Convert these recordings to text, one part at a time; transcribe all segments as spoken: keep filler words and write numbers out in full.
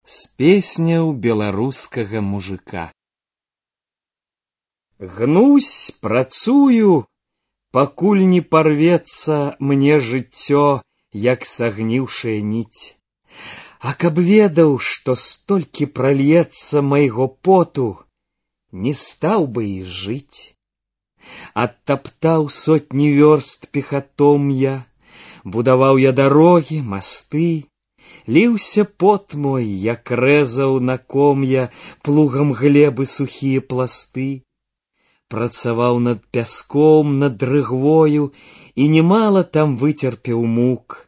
з песняў беларускага мужика. Гнусь, працую, пакуль не парвецца мне жыццё, як сагніўшая ніць. А каб ведаў, што столькі прольецца майго поту, не стаў бы і жыць. Адтаптаў сотні вёрст пехатом я, будаваў я дарогі, масты, ліўся пот мой, як рэзаў на ком'я плугам глебы сухія пласты. Працаваў над пяском, над дрыгвою, і немала там выцерпеў мук.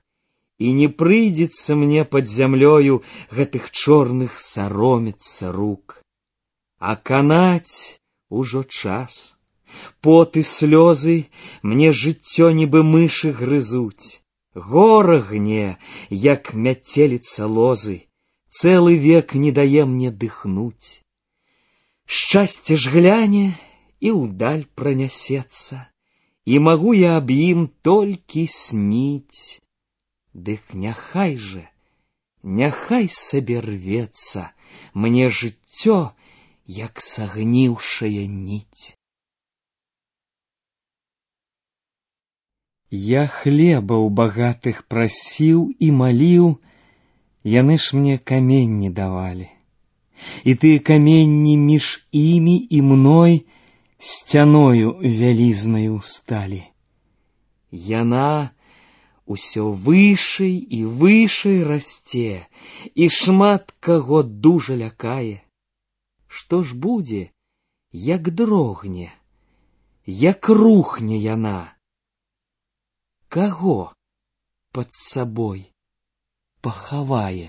І не прыйдзецца мне пад зямлёю гэтых чорных саромецца рук. А канаць ужо час. Пот і слёзы мне жыццё нібы мышы грызуць. Гора гне, як мяцеліца лозы, цэлы век не дае мне дыхнуць. Шчасце ж гляне і ўдаль пранясецца, і магу я аб ім толькі сніць. Дык няхай же, няхай сабе рвецца мне жыццё, як сагніўшая ніць. Я хлеба ў багатых прасіў і маліў, яны ж мне каменні давалі. І тыя каменні між імі і мной сцяною вялізнаю сталі. Яна усё вышэй і вышэй расце, і шмат каго дужа лякае. Што ж будзе, як дрогне, як рухне яна? Каго пад сабой пахавае?